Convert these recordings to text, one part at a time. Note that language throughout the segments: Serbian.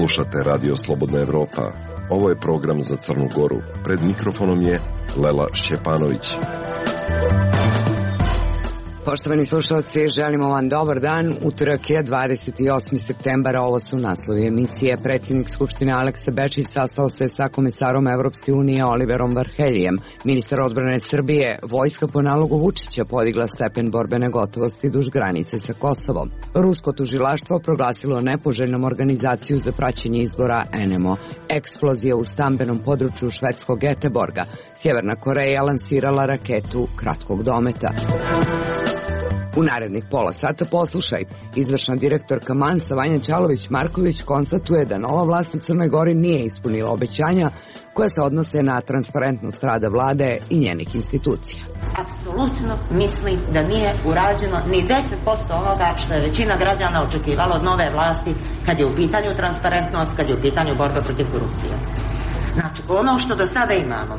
Slušate Radio Slobodna Evropa. Ovo je program za Crnu Goru. Pred mikrofonom je Lela Šćepanović. Poštovani slušalci, želimo vam dobar dan. Utorak je 28. septembar, ovo su naslovi emisije. Predsjednik Skupštine Aleksa Bečić sastao se sa komesarom Evropske unije Oliverom Varheljijem. Ministar odbrane Srbije, vojska po nalogu Vučića podigla stepen borbene gotovosti duž granice sa Kosovom. Rusko tužilaštvo proglasilo nepoželjnom organizaciju za praćenje izbora NMO. Eksplozija u stambenom području švedskog Göteborga. Sjeverna Koreja lansirala raketu kratkog dometa. U narednih pola sata poslušaj. Izvršna direktorka Mansa Vanja Ćalović-Marković konstatuje da nova vlast u Crnoj Gori nije ispunila obećanja koja se odnose na transparentnost rada vlade i njenih institucija. Apsolutno mislim da nije urađeno ni 10% onoga što je većina građana očekivala od nove vlasti kad je u pitanju transparentnost, kad je u pitanju borba protiv korupcije. Znači, ono što do sada imamo,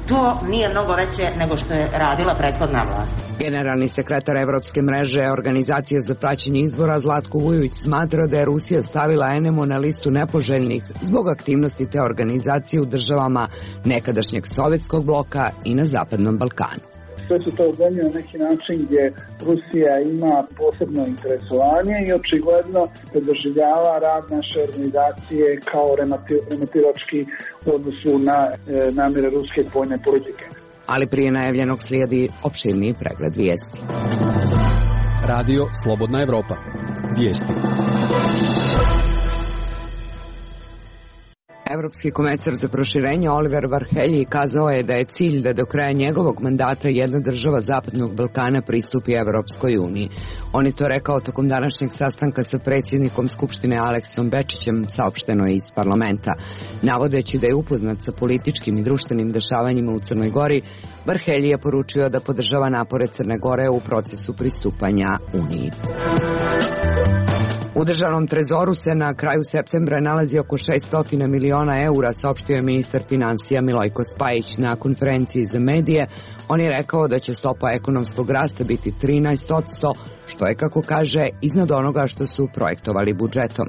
to nije mnogo veće nego što je radila prethodna vlast. Generalni sekretar Evropske mreže Organizacije za praćenje izbora Zlatko Vujović smatra da je Rusija stavila NMO na listu nepoželjnih zbog aktivnosti te organizacije u državama nekadašnjeg sovjetskog bloka i na Zapadnom Balkanu. Sve su to zemlje na neki način gdje Rusija ima posebno interesovanje i očigledno da doživljava rad naše organizacije kao remetilački u odnosu na namjere ruske vojne politike. Ali prije najavljenog slijedi opširniji pregled vijesti. Radio Slobodna Evropa. Vijesti. Evropski komesar za proširenje Oliver Varhelji kazao je da je cilj da do kraja njegovog mandata jedna država Zapadnog Balkana pristupi Evropskoj uniji. On je to rekao tokom današnjeg sastanka sa predsjednikom Skupštine Aleksom Bečićem, saopšteno je iz parlamenta. Navodeći da je upoznat sa političkim i društvenim dešavanjima u Crnoj Gori, Varhelji je poručio da podržava napore Crne Gore u procesu pristupanja Uniji. U državnom trezoru se na kraju septembra nalazi oko 600 miliona eura, saopštio je ministar finansija Milojko Spajić na konferenciji za medije. On je rekao da će stopa ekonomskog rasta biti 13%, što je, kako kaže, iznad onoga što su projektovali budžetom.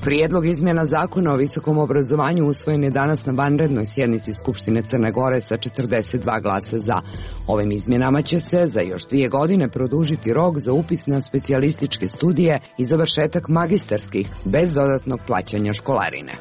Prijedlog izmjena zakona o visokom obrazovanju usvojen je danas na vanrednoj sjednici Skupštine Crne Gore sa 42 glasa za. Ovim izmjenama će se za još 2 godine produžiti rok za upis na specijalističke studije i završetak magistarskih bez dodatnog plaćanja školarine.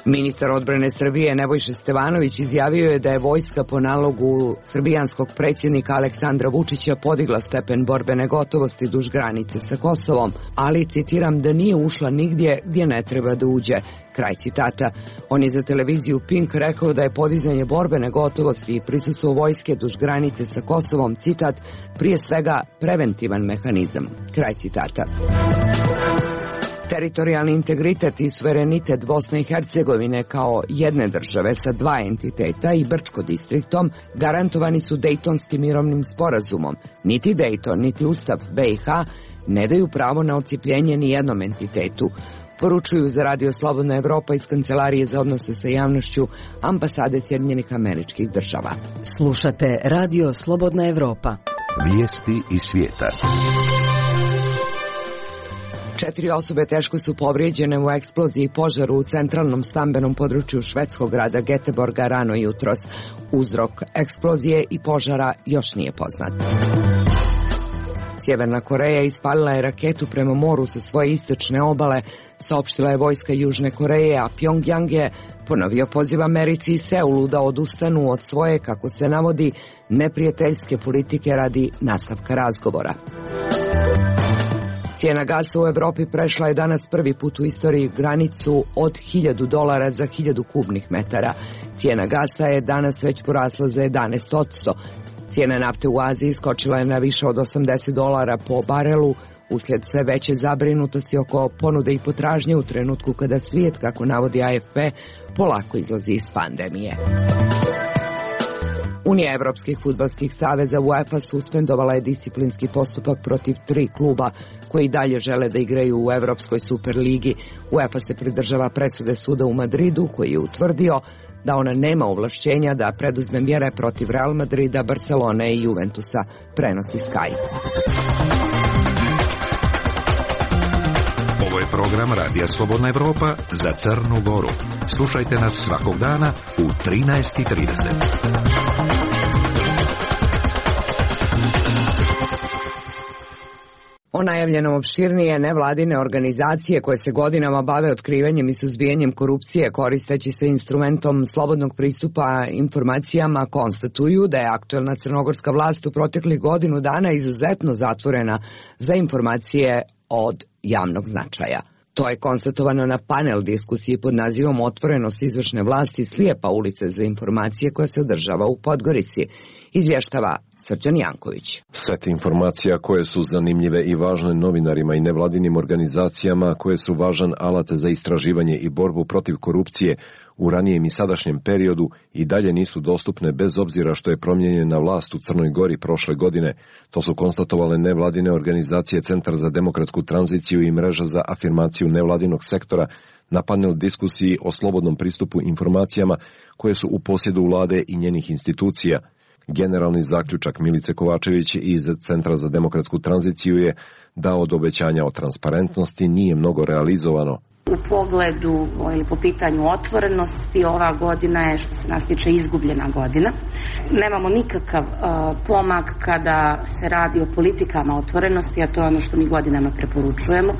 Ministar odbrane Srbije Nebojša Stevanović izjavio je da je vojska po nalogu srbijanskog predsjednika Aleksandra Vučića podigla stepen borbene gotovosti duž granice sa Kosovom, ali, citiram, da nije ušla nigdje gdje ne treba da uđe. Kraj citata. On je za televiziju Pink rekao da je podizanje borbene gotovosti i prisustvo vojske duž granice sa Kosovom, citat, prije svega preventivan mehanizam. Kraj citata. Teritorijalni integritet i suverenitet Bosne i Hercegovine kao jedne države sa 2 entiteta i Brčko distriktom garantovani su Dejtonskim mirovnim sporazumom. Niti Dejton, niti Ustav BiH ne daju pravo na odcijepljenje ni jednom entitetu. Poručuju za Radio Slobodna Evropa iz Kancelarije za odnose sa javnošću Ambasade Sjedinjenih Američkih Država. Slušate Radio Slobodna Evropa. Vijesti iz svijeta. 4 osobe teško su povrijeđene u eksploziji i požaru u centralnom stambenom području švedskog grada Göteborga rano jutros. Uzrok eksplozije i požara još nije poznat. Sjeverna Koreja ispalila je raketu prema moru sa svoje istočne obale, saopštila je vojska Južne Koreje, a Pjongjang je ponovio poziv Americi i Seulu da odustanu od svoje, kako se navodi, neprijateljske politike radi nastavka razgovora. Cijena gasa u Evropi prešla je danas prvi put u istoriji granicu od $1.000 za 1000 kubnih metara. Cijena gasa je danas već porasla za 11%. Cijena nafte u Aziji skočila je na više od $80 po barelu, uslijed sve veće zabrinutosti oko ponude i potražnje u trenutku kada svijet, kako navodi AFP, polako izlazi iz pandemije. Unija evropskih fudbalskih saveza UEFA suspendovala je disciplinski postupak protiv 3 kluba koji dalje žele da igraju u Evropskoj superligi. UEFA se pridržava presude suda u Madridu koji je utvrdio da ona nema ovlašćenja da preduzme mjere protiv Real Madrida, Barcelone i Juventusa, prenosi Sky. program Radija Slobodna Evropa za Crnu Goru. Slušajte nas svakog dana u 13:30. O najavljenom opširnije nevladine organizacije koje se godinama bave otkrivanjem i suzbijanjem korupcije koristeći se instrumentom slobodnog pristupa informacijama konstatuju da je aktuelna crnogorska vlast u proteklih godinu dana izuzetno zatvorena za informacije od javnog značaja. To je konstatovano na panel diskusiji pod nazivom Otvorenost izvršne vlasti slijepa ulice za informacije koja se održava u Podgorici. Izvještava Srđan Janković. Set informacija koje su zanimljive i važne novinarima i nevladinim organizacijama, koje su važan alat za istraživanje i borbu protiv korupcije u ranijem i sadašnjem periodu i dalje nisu dostupne bez obzira što je promijenjena vlast u Crnoj Gori prošle godine. To su konstatovale nevladine organizacije Centar za demokratsku tranziciju i Mreža za afirmaciju nevladinog sektora na panel diskusiji o slobodnom pristupu informacijama koje su u posjedu vlade i njenih institucija. Generalni zaključak Milice Kovačević iz Centra za demokratsku tranziciju je da od obećanja o transparentnosti nije mnogo realizovano. U pogledu ili po pitanju otvorenosti, ova godina je, što se nas tiče, izgubljena godina. Nemamo nikakav pomak kada se radi o politikama otvorenosti, a to je ono što mi godinama preporučujemo.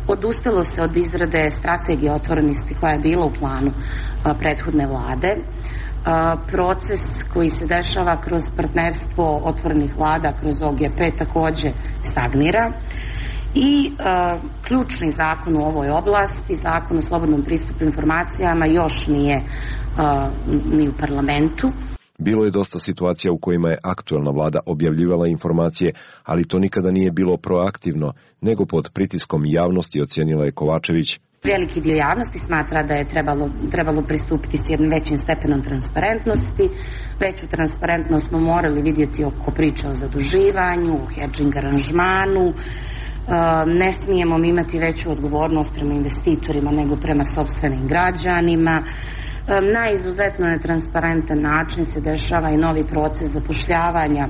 Odustalo se od izrade strategije otvorenosti koja je bila u planu prethodne vlade. Proces koji se dešava kroz partnerstvo otvorenih vlada, kroz OGP, također stagnira. I ključni zakon u ovoj oblasti, zakon o slobodnom pristupu informacijama, još nije ni u parlamentu. Bilo je dosta situacija u kojima je aktuelna vlada objavljivala informacije, ali to nikada nije bilo proaktivno, nego pod pritiskom javnosti, ocijenila je Kovačević. Veliki dio javnosti smatra da je trebalo pristupiti s jednim većim stepenom transparentnosti. Veću transparentnost smo morali vidjeti oko priče o zaduživanju, o hedžing aranžmanu. Ne smijemo imati veću odgovornost prema investitorima nego prema sopstvenim građanima. Na izuzetno netransparentan način se dešava i novi proces zapošljavanja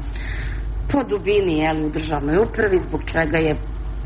po dubini u državnoj upravi, zbog čega je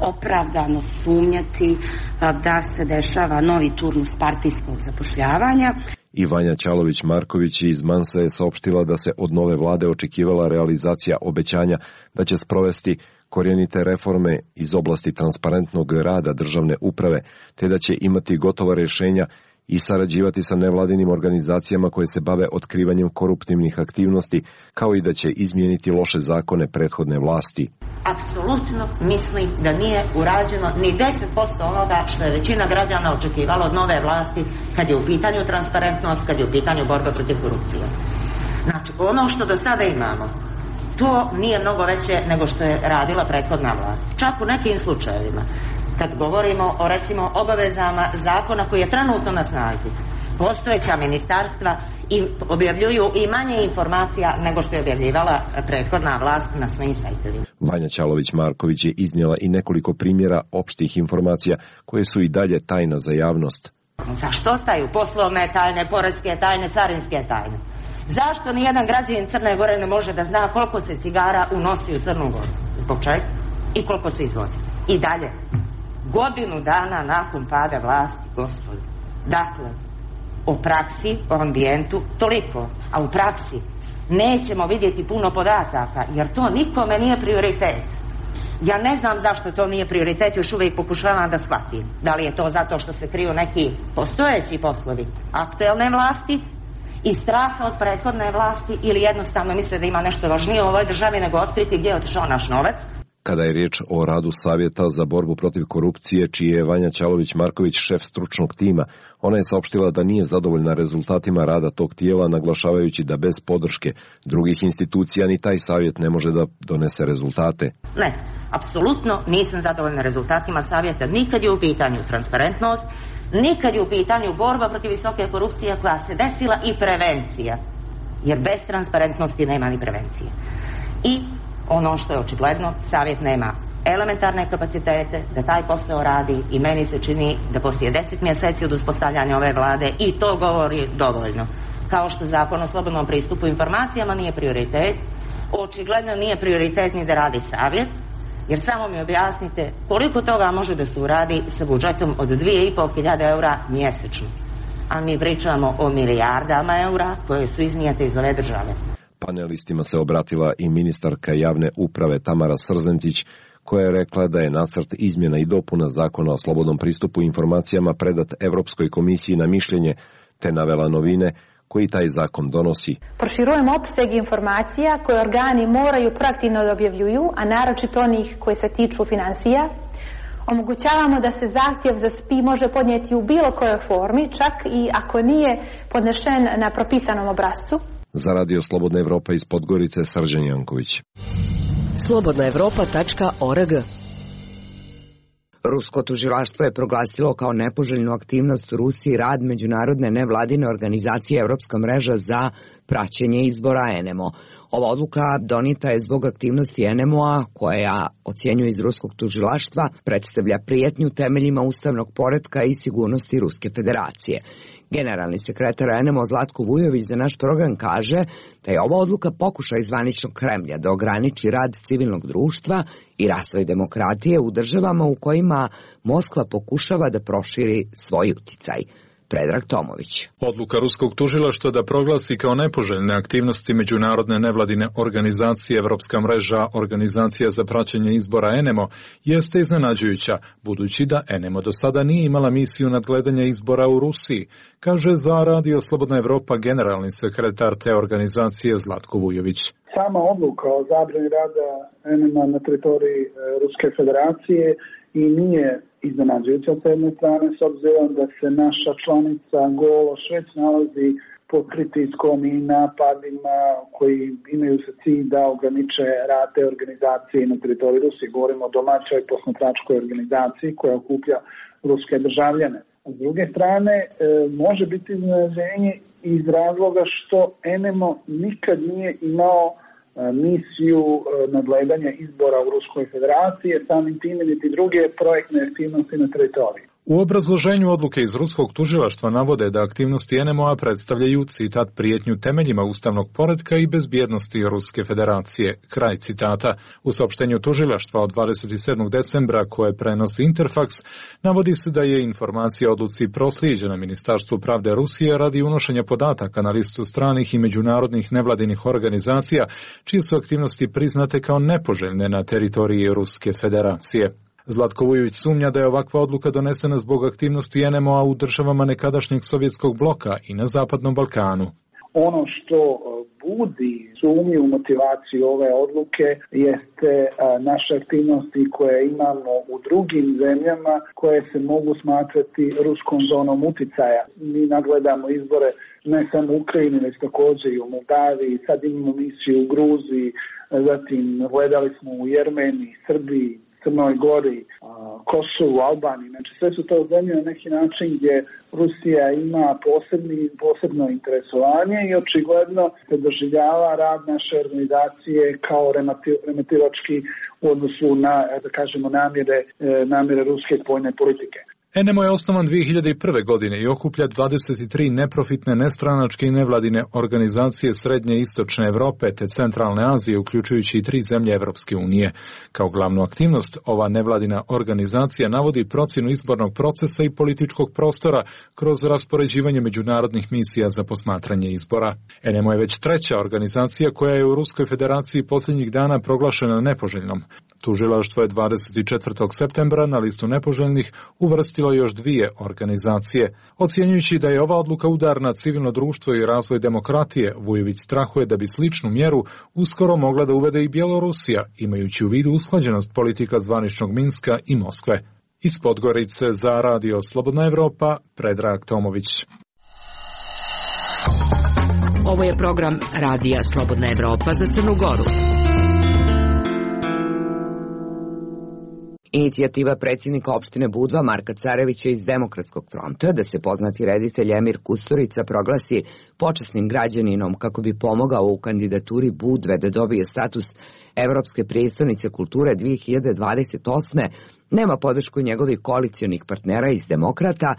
opravdano sumnjati da se dešava novi turnus partijskog zapošljavanja. I Vanja Ćalović-Marković iz Mansa je saopštila da se od nove vlade očekivala realizacija obećanja da će sprovesti korijenite reforme iz oblasti transparentnog rada državne uprave, te da će imati gotova rješenja i sarađivati sa nevladinim organizacijama koje se bave otkrivanjem koruptivnih aktivnosti, kao i da će izmijeniti loše zakone prethodne vlasti. Apsolutno mislim da nije urađeno ni 10% onoga što je većina građana očekivala od nove vlasti kad je u pitanju transparentnost, kad je u pitanju borba protiv korupcije. Znači, ono što do sada imamo, to nije mnogo veće nego što je radila prethodna vlast. Čak u nekim slučajevima, kad govorimo o, recimo, obavezama zakona koji je trenutno na snazi, postojeća ministarstva i objavljuju i manje informacija nego što je objavljivala prethodna vlast na svojim sajtovima. Vanja Ćalović-Marković je iznijela i nekoliko primjera opštih informacija koje su i dalje tajna za javnost. Zašto ostaju poslovne tajne, poreske tajne, carinske tajne? Zašto nijedan građanin Crne Gore ne može da zna koliko se cigara unosi u Crnu Goru? Zbog čega? I koliko se izvozi? I dalje. Godinu dana nakon pada vlasti, gospodo. Dakle, o praksi, o ambijentu, toliko. A u praksi nećemo vidjeti puno podataka, jer to nikome nije prioritet. Ja ne znam zašto to nije prioritet, još uvijek pokušavam da shvatim. Da li je to zato što se kriju neki postojeći poslovi aktuelne vlasti i straha od prethodne vlasti, ili jednostavno misle da ima nešto važnije u ovoj državi nego otkriti gdje je otišao naš novac. Kada je riječ o radu Savjeta za borbu protiv korupcije, čiji je Vanja Ćalović-Marković šef stručnog tima, ona je saopštila da nije zadovoljna rezultatima rada tog tijela, naglašavajući da bez podrške drugih institucija ni taj savjet ne može da donese rezultate. Ne, apsolutno nisam zadovoljna rezultatima savjeta, nikad je u pitanju transparentnost, nikad je u pitanju borba protiv visoke korupcije koja se desila i prevencija, jer bez transparentnosti nema ni prevencije. I ono što je očigledno, savjet nema elementarne kapacitete da taj posao radi i meni se čini da poslije 10 mjeseci od uspostavljanja ove vlade i to govori dovoljno. Kao što zakon o slobodnom pristupu informacijama nije prioritet, očigledno nije prioritet ni da radi savjet, Jer samo mi objasnite koliko toga može da se uradi sa budžetom od 2.500 eura mjesečno. A mi pričamo o milijardama eura koje su iznijete iz ove države. Panelistima se obratila i ministarka javne uprave Tamara Srzentić, koja je rekla da je nacrt izmjena i dopuna Zakona o slobodnom pristupu informacijama predat Evropskoj komisiji na mišljenje, te navela novine koji taj zakon donosi. Proširujemo opseg informacija koje organi moraju proaktivno da objavljuju, a naročito onih koji se tiču financija. Omogućavamo da se zahtjev za SPI može podnijeti u bilo kojoj formi, čak i ako nije podnešen na propisanom obrascu. Za Radio Slobodna Evropa iz Podgorice, Srđan Janković. slobodnaevropa.org. Rusko tužilaštvo je proglasilo kao nepoželjnu aktivnost u Rusiji rad međunarodne nevladine organizacije Evropska mreža za praćenje izbora ENEMO. Ova odluka donita je zbog aktivnosti ENEMO-a, koja ocjenjuje iz ruskog tužilaštva predstavlja prijetnju temeljima ustavnog poretka i sigurnosti Ruske federacije. Generalni sekretar ENEMO Zlatko Vujović za naš program kaže da je ova odluka pokušaj zvaničnog Kremlja da ograniči rad civilnog društva i razvoj demokratije u državama u kojima Moskva pokušava da proširi svoj uticaj. Predrag Tomović. Odluka ruskog tužilaštva da proglasi kao nepoželjne aktivnosti međunarodne nevladine organizacije Evropska mreža organizacija za praćenje izbora ENEMO jeste iznenađujuća, budući da ENEMO do sada nije imala misiju nadgledanja izbora u Rusiji, kaže za Radio Slobodna Evropa generalni sekretar te organizacije Zlatko Vujović. Sama odluka o zabrani rada ENEMO na teritoriji Ruske federacije i nije iznenađujuća s jedne strane, s obzirom da se naša članica Gološ već nalazi pod pritiskom i napadima koji imaju za cilj da ograniče rad te organizacije na teritoriji Rusije. Govorimo o domaćoj posmatračkoj organizaciji koja okuplja ruske državljane. S druge strane, može biti iznenađenje iz razloga što ENEMO nikad nije imao misiju nadgledanja izbora u Ruskoj federaciji, samim time niti druge projektne aktivnosti na teritoriji. U obrazloženju odluke iz ruskog tužilaštva navode da aktivnosti ENEMO-a predstavljaju, citat, prijetnju temeljima ustavnog poretka i bezbjednosti Ruske federacije, kraj citata. U saopštenju tužilaštva od 27. decembra koje prenosi Interfax, navodi se da je informacija o odluci proslijeđena Ministarstvu pravde Rusije radi unošenja podataka na listu stranih i međunarodnih nevladinih organizacija, čije su aktivnosti priznate kao nepoželjne na teritoriji Ruske federacije. Zlatko Vujović sumnja da je ovakva odluka donesena zbog aktivnosti ENEMO-a u državama nekadašnjeg sovjetskog bloka i na Zapadnom Balkanu. Ono što budi sumnju u motivaciju ove odluke jeste naše aktivnosti koje imamo u drugim zemljama koje se mogu smatrati ruskom zonom uticaja. Mi nagledamo izbore ne samo u Ukrajini, već također i u Moldaviji, sad imamo misiju u Gruziji, zatim gledali smo u Jermeniji, Srbiji, Crnoj Gori, Kosovu, Albaniji. Znači sve su to zemlje na neki način gdje Rusija ima posebno interesovanje i očigledno se doživljava rad naše organizacije kao remetilački u odnosu na, da kažemo, namjere ruske spoljne politike. ENEMO je osnovan 2001. godine i okuplja 23 neprofitne, nestranačke i nevladine organizacije Srednje i Istočne Evrope te Centralne Azije, uključujući i 3 zemlje Evropske unije. Kao glavnu aktivnost, ova nevladina organizacija navodi procjenu izbornog procesa i političkog prostora kroz raspoređivanje međunarodnih misija za posmatranje izbora. ENEMO je već treća organizacija koja je u Ruskoj federaciji posljednjih dana proglašena nepoželjnom. Tužilaštvo je 24. septembra na listu nepoželjnih uvrstilo još 2 organizacije. Ocjenjujući da je ova odluka udar na civilno društvo i razvoj demokratije, Vujović strahuje da bi sličnu mjeru uskoro mogla da uvede i Bjelorusija, imajući u vidu usklađenost politika zvaničnog Minska i Moskve. Iz Podgorice za Radio Slobodna Evropa, Predrag Tomović. Ovo je program Radija Slobodna Evropa za Crnu Goru. Inicijativa predsjednika opštine Budva Marka Carevića iz Demokratskog fronta da se poznati reditelj Emir Kusturica proglasi počasnim građaninom kako bi pomogao u kandidaturi Budve da dobije status Evropske prijestolnice kulture 2028. nema podršku njegovih koalicionih partnera iz Demokrata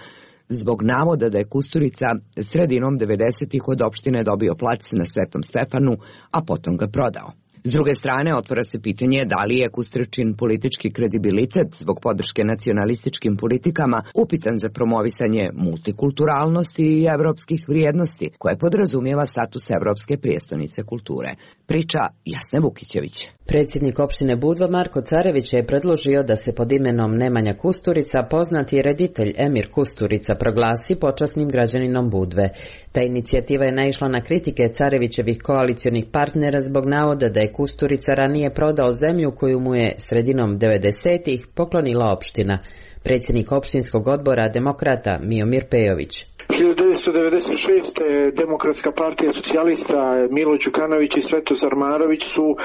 zbog navoda da je Kusturica sredinom 90-ih od opštine dobio plac na Svetom Stefanu, a potom ga prodao. S druge strane, otvara se pitanje da li je Kusturičin politički kredibilitet zbog podrške nacionalističkim politikama upitan za promovisanje multikulturalnosti i evropskih vrijednosti, koje podrazumijeva status evropske prijestolnice kulture. Priča Jasne Vukićević. Predsjednik opštine Budva Marko Carević je predložio da se pod imenom Nemanja Kusturica poznati reditelj Emir Kusturica proglasi počasnim građaninom Budve. Ta inicijativa je naišla na kritike Carevićevih koalicionih partnera zbog navoda da je Kusturica ranije prodao zemlju koju mu je sredinom 90-ih poklonila opština. Predsjednik opštinskog odbora Demokrata Miomir Pejović. 1996. Demokratska partija socijalista Milo Đukanović i Svetozar Marović su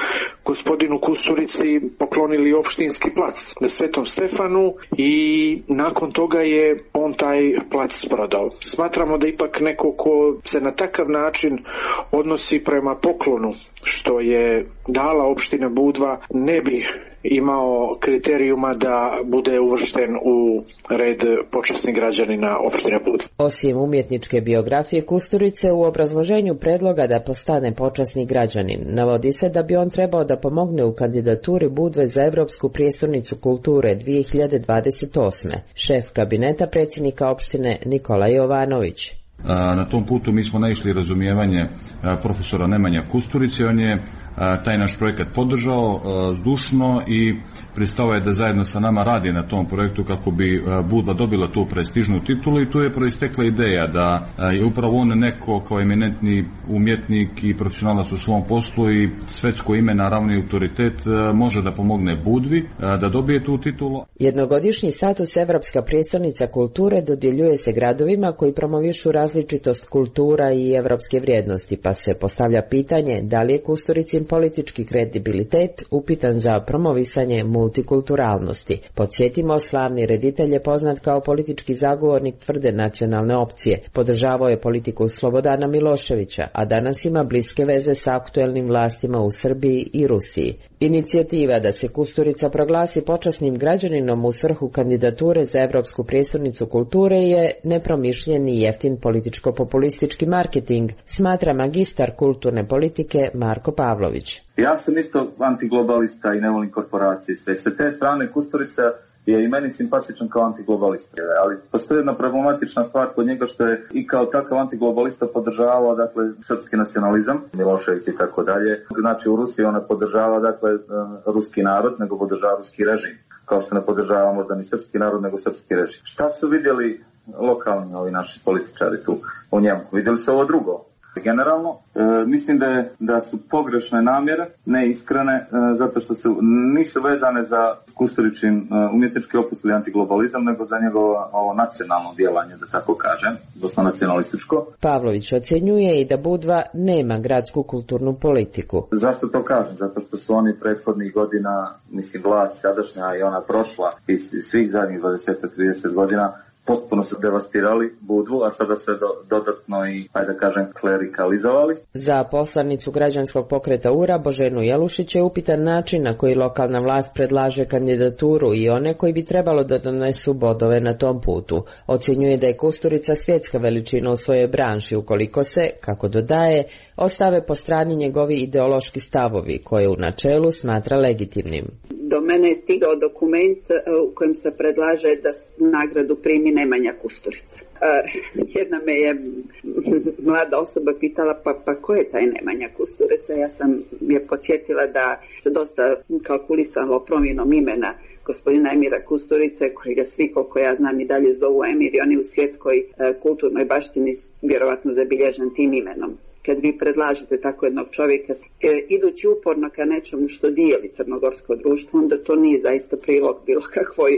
gospodinu Kusturici poklonili opštinski plac na Svetom Stefanu i nakon toga je on taj plac prodao. Smatramo da ipak neko ko se na takav način odnosi prema poklonu što je dala opština Budva ne bi imao kriterijuma da bude uvršten u red počasnih građanina opštine Budva. Osim umjetničke biografije Kusturice, u obrazloženju predloga da postane počasni građanin navodi se da bi on trebao da pomogne u kandidaturi Budve za Evropsku prijestolnicu kulture 2028. Šef kabineta predsjednika opštine Nikola Jovanović. Na tom putu mi smo naišli razumijevanje profesora Nemanja Kusturice. On je taj naš projekat podržao zdušno i pristao je da zajedno sa nama radi na tom projektu kako bi Budva dobila tu prestižnu titulu i tu je proistekla ideja da je upravo on neko kao eminentni umjetnik i profesionalac u svom poslu i svetsko ime, naravno i autoritet, može da pomogne Budvi da dobije tu titulu. Jednogodišnji status Evropska prijestolnica kulture dodjeljuje se gradovima koji promovišu različitost kultura i evropske vrijednosti, pa se postavlja pitanje da li je Kusturicin politički kredibilitet upitan za promovisanje multikulturalnosti. Podsjetimo, slavni reditelj je poznat kao politički zagovornik tvrde nacionalne opcije. Podržavao je politiku Slobodana Miloševića, a danas ima bliske veze sa aktuelnim vlastima u Srbiji i Rusiji. Inicijativa da se Kusturica proglasi počasnim građaninom u svrhu kandidature za Evropsku prijestolnicu kulture je nepromišljen i jeftin političko-populistički marketing, smatra magistar kulturne politike Marko Pavlović. Ja sam isto antiglobalista i ne volim korporacije. Sve sa te strane Kusturica je i meni simpatičan kao antiglobalista, ali postoji jedna problematična stvar kod njega što je i kao takav antiglobalista podržavao, dakle, srpski nacionalizam, Milošević i tako dalje. Znači u Rusiji ona podržava, dakle, ruski narod, nego podržava ruski režim, kao što ne podržava možda ni srpski narod, nego srpski režim. Šta su vidjeli lokalni ovi naši političari tu u njemu? Vidjeli su ovo drugo. Generalno, mislim da su pogrešne namjere, neiskrene, zato što nisu vezane za Kusturičin umjetnički opus ili antiglobalizam, nego za njegovo ovo nacionalno djelanje, da tako kažem, dosta nacionalističko. Pavlović ocjenjuje i da Budva nema gradsku kulturnu politiku. Zašto to kažem? Zato što su oni prethodnih godina, mislim, vlast sadašnja i ona prošla iz svih zadnjih 20-30 godina, potpuno su devastirali Budvu, a sada se dodatno i, ajde da kažem, klerikalizovali. Za poslanicu građanskog pokreta URA Boženu Jelušić je upitan način na koji lokalna vlast predlaže kandidaturu i one koji bi trebalo da donesu bodove na tom putu. Ocjenjuje da je Kusturica svjetska veličina u svojoj branši ukoliko se, kako dodaje, ostave po strani njegovi ideološki stavovi koje u načelu smatra legitimnim. Do mene je stigao dokument u kojem se predlaže da nagradu primi Nemanja Kusturica. Jedna me je mlada osoba pitala pa ko je taj Nemanja Kusturica? Ja sam je podsjetila da se dosta kalkulisalo promjenom imena gospodina Emira Kusturice, kojega svi, koliko ja znam, i dalje zovu Emir, i on je u svjetskoj kulturnoj baštini vjerovatno zabilježen tim imenom. Kad vi predlažete tako jednog čovjeka, idući uporno ka nečemu što dijeli crnogorsko društvo, onda to nije zaista prilog bilo kakvoj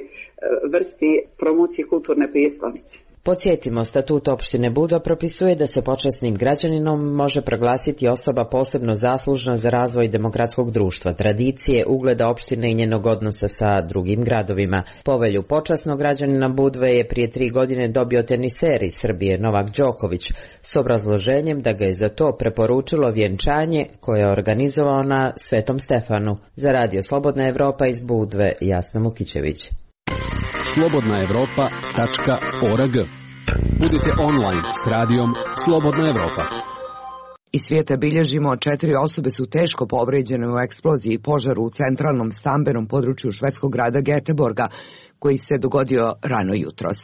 vrsti promocije kulturne prijestolnice. Podsjetimo, statut opštine Budva propisuje da se počasnim građaninom može proglasiti osoba posebno zaslužna za razvoj demokratskog društva, tradicije, ugleda opštine i njenog odnosa sa drugim gradovima. Povelju počasnog građanina Budve je prije 3 godine dobio teniser iz Srbije Novak Đoković s obrazloženjem da ga je za to preporučilo vjenčanje koje je organizovao na Svetom Stefanu. Za Radio Slobodna Evropa iz Budve, Jasna Vukićević. slobodnaevropa.org. Budite online s radijom Slobodna Evropa. Iz svijeta bilježimo 4 osobe su teško povređene u eksploziji i požaru u centralnom stambenom području švedskog grada Göteborga, koji se dogodio rano jutros.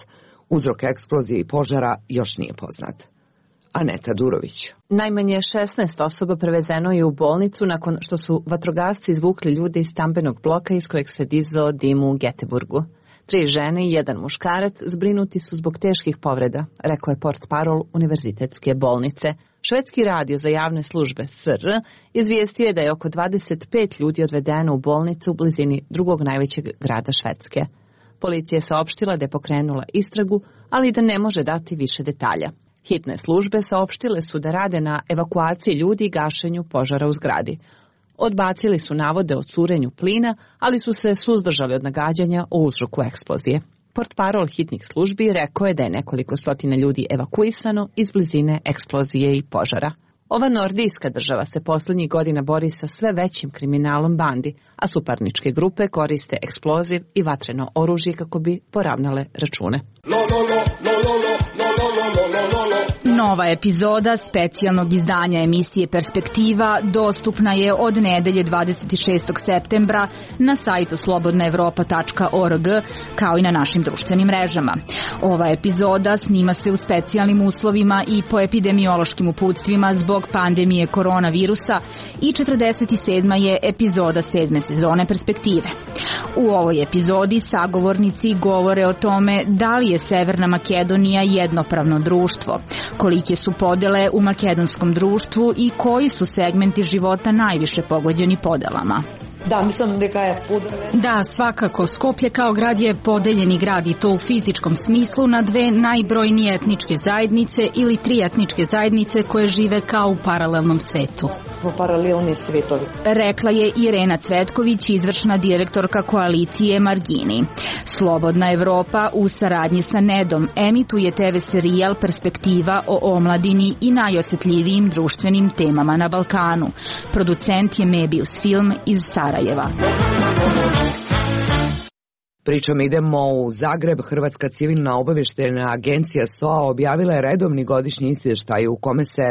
Uzrok eksplozije i požara još nije poznat. Aneta Durović. Najmanje 16 osoba prevezeno je u bolnicu nakon što su vatrogasci izvukli ljude iz stambenog bloka iz kojeg se dizao dim u Göteborgu. 3 žene i 1 muškarac zbrinuti su zbog teških povreda, rekao je portparol Univerzitetske bolnice. Švedski radio za javne službe SR izvijestio je da je oko 25 ljudi odvedeno u bolnicu u blizini drugog najvećeg grada Švedske. Policija je saopštila da je pokrenula istragu, ali da ne može dati više detalja. Hitne službe saopštile su da rade na evakuaciji ljudi i gašenju požara u zgradi. Odbacili su navode o curenju plina, ali su se suzdržali od nagađanja o uzroku eksplozije. Portparol hitnih službi rekao je da je nekoliko stotina ljudi evakuisano iz blizine eksplozije i požara. Ova nordijska država se posljednjih godina bori sa sve većim kriminalom bandi, a suparničke grupe koriste eksploziv i vatreno oružje kako bi poravnale račune. Nova epizoda specijalnog izdanja emisije Perspektiva dostupna je od nedelje 26. septembra na sajtu slobodnaevropa.org kao i na našim društvenim mrežama. Ova epizoda snima se u specijalnim uslovima i po epidemiološkim uputstvima zbog pandemije koronavirusa i 47. je epizoda 7. sezone Perspektive. U ovoj epizodi sagovornici govore o tome da li je Severna Makedonija jednopravno društvo, kolike su podele u makedonskom društvu i koji su segmenti života najviše pogođeni podelama. Da, svakako. Skoplje kao grad je podeljeni grad i to u fizičkom smislu na 2 najbrojnije etničke zajednice ili 3 etničke zajednice koje žive kao u paralelnom svetu. Rekla je Irena Cvetković, izvršna direktorka koalicije Margini. Slobodna Evropa u saradnji sa Nedom emituje TV serijal Perspektiva o omladini i najosjetljivijim društvenim temama na Balkanu. Producent je Mebius Film iz Sarajeva. Pričom idemo u Zagreb. Hrvatska civilna obavještajna agencija SOA objavila je redovni godišnji izvještaj u kome se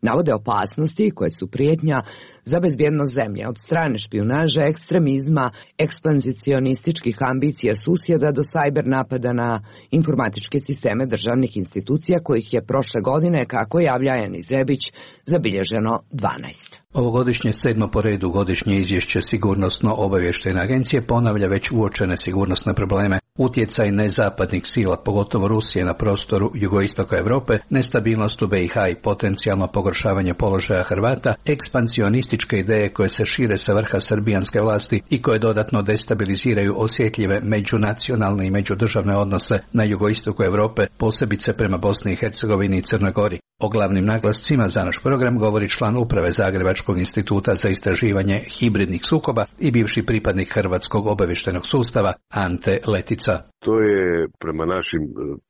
navode opasnosti koje su prijetnja za bezbjednost zemlje, od strane špijunaže, ekstremizma, ekspanzicionističkih ambicija susjeda do sajber napada na informatičke sisteme državnih institucija, kojih je prošle godine, kako javlja Eni Zebić, zabilježeno 12. Ovogodišnje 7. po redu godišnje izvješće Sigurnosno-obavještajne agencije ponavlja već uočene sigurnosne probleme. Utjecaj nezapadnih sila, pogotovo Rusije na prostoru jugoistoka Europe, nestabilnost u BiH i potencijalno pogoršavanje položaja Hrvata, ekspansionističke ideje koje se šire sa vrha srbijanske vlasti i koje dodatno destabiliziraju osjetljive međunacionalne i međudržavne odnose na jugoistoku Europe, posebice prema Bosni i Hercegovini i Crnoj Gori. O glavnim naglascima za naš program govori član uprave Zagrebačkog instituta za istraživanje hibridnih sukoba i bivši pripadnik Hrvatskog obavještajnog sustava Ante Letica. To je prema našim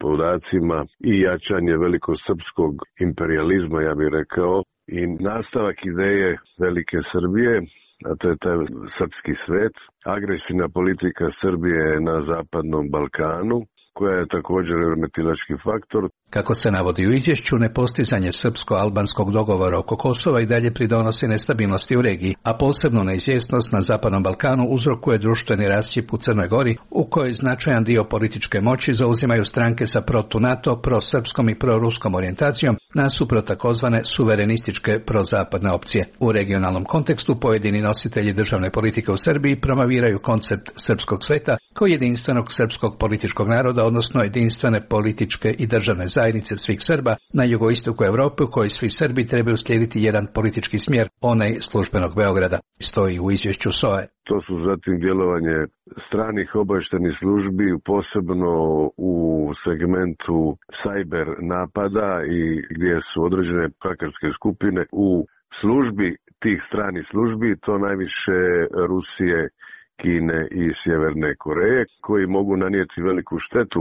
podacima i jačanje velikosrpskog imperializma, ja bih rekao, i nastavak ideje Velike Srbije, a to je taj srpski svet, agresivna politika Srbije na zapadnom Balkanu, koja je također remetilački faktor. Kako se navodi u izvješću, nepostizanje srpsko-albanskog dogovora oko Kosova i dalje pridonosi nestabilnosti u regiji, a posebno neizvjesnost na Zapadnom Balkanu uzrokuje društveni rascjep u Crnoj Gori, u kojoj značajan dio političke moći zauzimaju stranke sa protu-NATO, prosrpskom i proruskom orijentacijom, nasuprot takozvane suverenističke prozapadne opcije. U regionalnom kontekstu pojedini nositelji državne politike u Srbiji promoviraju koncept srpskog sveta kao jedinstvenog srpskog političkog naroda, odnosno jedinstvene političke i državne zajednice svih Srba na jugoistoku Europe, u kojoj svi Srbi trebaju slijediti jedan politički smjer, onaj službenog Beograda, stoji u izvješću SOA-e. To su zatim djelovanje stranih obavještajnih službi, posebno u segmentu sajber napada i gdje su određene hakerske skupine u službi tih stranih službi, to najviše Rusije, Kine i Sjeverne Koreje, koji mogu nanijeti veliku štetu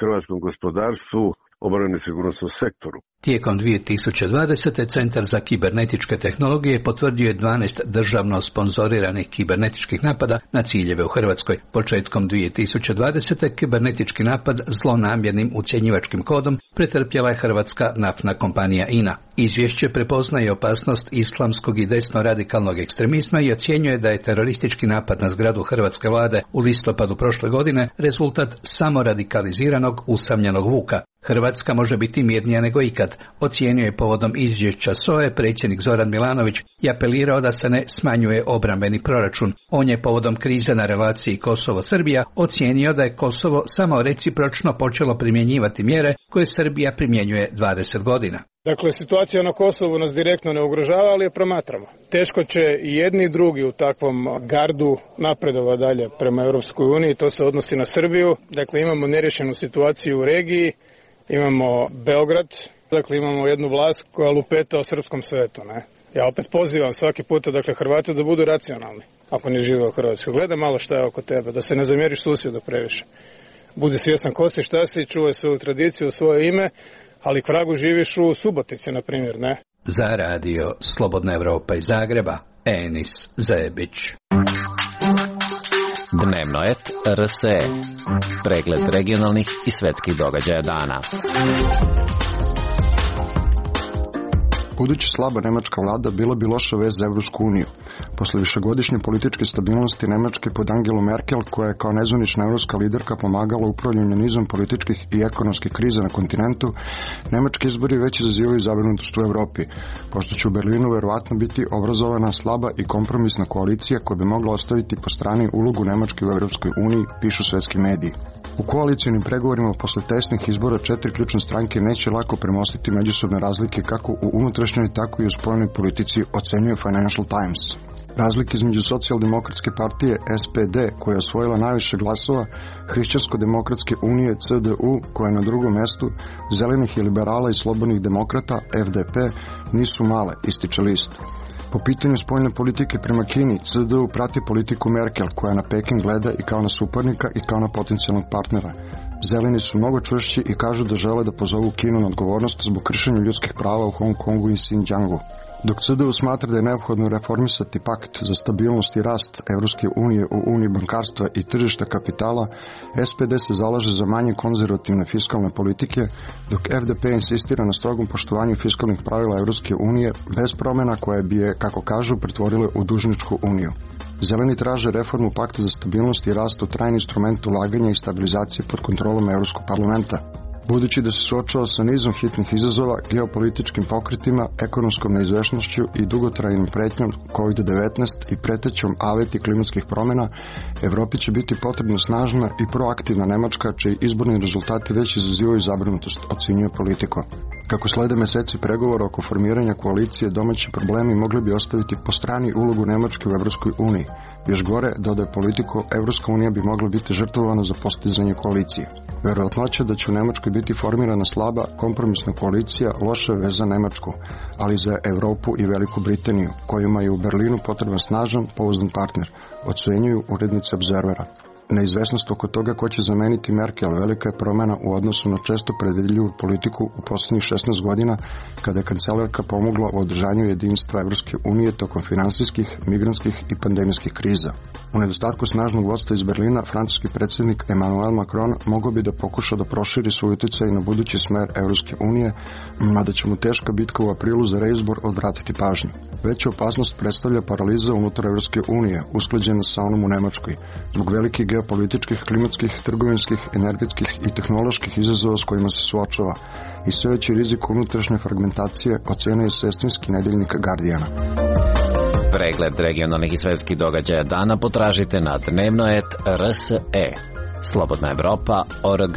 hrvatskom gospodarstvu, obrani sigurnosnom sektoru. Tijekom 2020. Centar za kibernetičke tehnologije potvrdio je 12 državno sponzoriranih kibernetičkih napada na ciljeve u Hrvatskoj. Početkom 2020. kibernetički napad zlonamjernim ucjenjivačkim kodom pretrpjela je hrvatska naftna kompanija INA. Izvješće prepoznaje opasnost islamskog i desno-radikalnog ekstremizma i ocjenjuje da je teroristički napad na zgradu hrvatske vlade u listopadu prošle godine rezultat samoradikaliziranog usamljenog vuka. Hrvatska može biti mirnija nego ikad, ocijenio je povodom izvješća SOA-e predsjednik Zoran Milanović i apelirao da se ne smanjuje obrambeni proračun. On je povodom krize na relaciji Kosovo-Srbija ocijenio da je Kosovo samo recipročno počelo primjenjivati mjere koje Srbija primjenjuje 20 godina. Dakle, situacija na Kosovu nas direktno ne ugrožava, ali je promatramo. Teško će i jedni i drugi u takvom gardu napredova dalje prema Europskoj uniji, to se odnosi na Srbiju. Dakle, imamo nerješenu situaciju u regiji, imamo Beograd, dakle imamo jednu vlast koja lupeta o srpskom svetu. Ne? Ja opet pozivam svaki puta, dakle, Hrvate da budu racionalni, ako ne žive u Hrvatskoj. Gledaj malo šta je oko tebe, da se ne zamjeriš susjedu previše. Budi svjestan ko si, šta si, čuvaj svoju tradiciju, svoje ime, ali k vragu živiš u Subotici, na primjer, ne? Za radio Slobodna Evropa iz Zagreba, Enis Zebić. Dnevnoet RSE. Pregled regionalnih i svetskih događaja dana. Budući slaba nemačka vlada bila bi loša vez za Evropsku uniju. Posle višegodišnje političke stabilnosti Nemačke pod Angelu Merkel, koja je kao nezvanična evropska liderka pomagala upravljanju nizom političkih i ekonomskih kriza na kontinentu, nemački izbori već izazivaju zabrinutost u Evropi, pošto će u Berlinu verovatno biti obrazovana slaba i kompromisna koalicija koja bi mogla ostaviti po strani ulogu Nemačke u Evropskoj uniji, pišu svetski mediji. U koalicijnim pregovorima posle tesnih izbora 4 ključne stranke neće lako premostiti međusobne razlike kako u unutrašnjoj, tako i u spoljnoj politici, ocenjuje Financial Times. Razlike između socijaldemokratske partije SPD, koja je osvojila najviše glasova, Hrišćansko-demokratske unije CDU, koja je na drugom mjestu, zelenih i liberala i slobodnih demokrata FDP, nisu male, ističe list. Po pitanju spoljne politike prema Kini, CDU prati politiku Merkel, koja na Peking gleda i kao na suparnika i kao na potencijalnog partnera. Zeleni su mnogo čvršći i kažu da žele da pozovu Kinu na odgovornost zbog kršenja ljudskih prava u Hong Kongu i Xinjiangu. Dok CDU smatra da je neophodno reformisati pakt za stabilnost i rast Evropske unije u uniji bankarstva i tržišta kapitala, SPD se zalaže za manje konzervativne fiskalne politike, dok FDP insistira na strogom poštovanju fiskalnih pravila Evropske unije bez promjena koje bi je, kako kažu, pretvorile u dužničku uniju. Zeleni traže reformu pakta za stabilnost i rast u trajni instrument ulaganja i stabilizacije pod kontrolom Evropskog parlamenta. Budući da se suočava sa nizom hitnih izazova, geopolitičkim pokretima, ekonomskom neizvešnošću i dugotrajnim pretnjom COVID-19 i pretećom aveti klimatskih promjena, Evropi će biti potrebna snažna i proaktivna Nemačka, čiji izborni rezultati već izazivaju zabrinutost, ocenjuje Politico. Kako slede meseci pregovora oko formiranja koalicije, domaći problemi mogli bi ostaviti po strani ulogu Nemačke u Evropskoj uniji. Još gore, dodaje Politico, Evropska unija bi mogla biti žrtvovana za postizanje koalicije. Verovatnoća da će u Nemačkoj biti formirana slaba, kompromisna koalicija loša je veza Nemačku, ali za Evropu i Veliku Britaniju, kojima je u Berlinu potreban snažan, pouzdan partner, ocenjuju urednici Observera. Neizvesnost oko toga ko će zameniti Merkel velika je promjena u odnosu na često predvidljivu politiku u posljednjih 16 godina, kada je kancelarka pomogla u održanju jedinstva Evropske unije tokom finansijskih, migrantskih i pandemijskih kriza. U nedostatku snažnog vodstva iz Berlina, francuski predsjednik Emmanuel Macron mogao bi da pokuša da proširi svoj utjecaj na budući smer Evropske unije, mada će mu teška bitka u aprilu za reizbor odvratiti pažnju. Veća opasnost predstavlja paraliza unutar Evropske unije, usklađena sa onom u Nemačkoj, zbog velikih geopolitičkih, klimatskih, trgovinskih, energetskih i tehnoloških izazova s kojima se suočava i sve veći rizik unutrašnje fragmentacije, ocenjuje sestrinski nedeljnik Guardiana. Pregled regionalnih i svetskih događaja dana potražite na Dnevnoet RSE. Slobodna Evropa.org.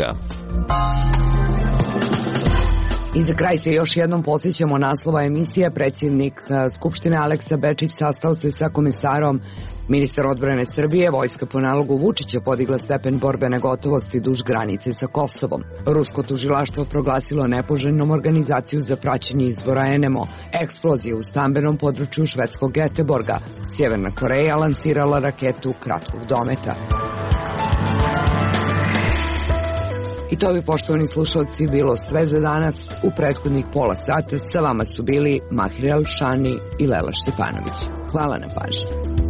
I za kraj se još jednom podsjećamo naslova emisije. Predsjednik Skupštine Aleksa Bečić sastao se sa komesarom. Ministar odbrane Srbije, vojska po nalogu Vučića podigla stepen borbene gotovosti duž granice sa Kosovom. Rusko tužilaštvo proglasilo nepoželjnom organizaciju za praćenje izbora NMO. Eksplozije u stambenom području švedskog Göteborga. Sjeverna Koreja lansirala raketu kratkog dometa. I to bi, poštovani slušalci, bilo sve za danas. U prethodnih pola sata sa vama su bili Mahir Alšani i Lela Štefanović. Hvala na pažnji.